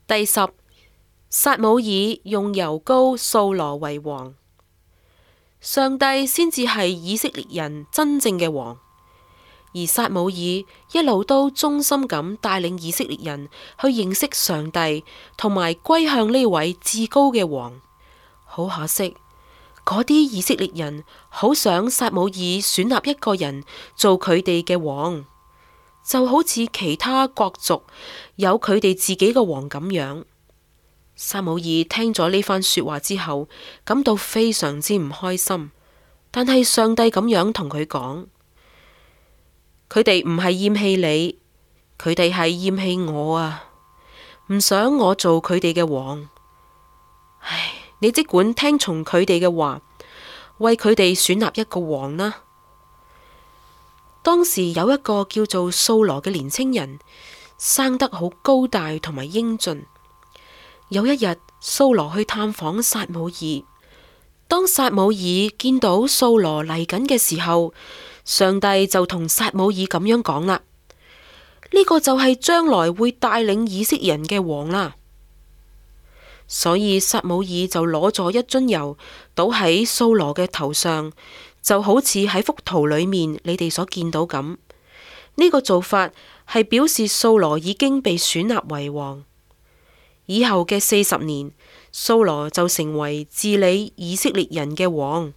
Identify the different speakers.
Speaker 1: 第10，撒母耳用油膏掃羅為王。上帝先至係以色列人真正嘅王，而撒母耳一路都忠心咁帶領以色列人去認識上帝，同埋歸向呢位至高嘅王。好可惜，嗰啲以色列人好想撒母耳選立一個人做佢哋嘅王，就好似其他國族有佢哋自己嘅王咁樣。撒母耳聽咗呢番說話之後，感到非常之唔開心。但係上帝咁樣同佢講，佢哋唔係厭棄你，佢哋係厭棄我啊，唔想我做佢哋嘅王。唉，你即管聽從佢哋嘅話，為佢哋選立一個王啦。當時有一個叫做掃羅嘅年輕人，生得好高大同埋英俊。有一日，掃羅去探訪撒母耳。當撒母耳見到掃羅嚟緊嘅時候，上帝就同撒母耳咁樣講啦：呢個就係將來會帶領以色列人嘅王啦。所以撒母耳就攞咗一樽油倒喺掃羅嘅頭上，就好似喺幅圖裏面你哋所見到咁。呢個做法係表示掃羅已經被選立為王。以後嘅40年，掃羅就成為治理以色列人嘅王。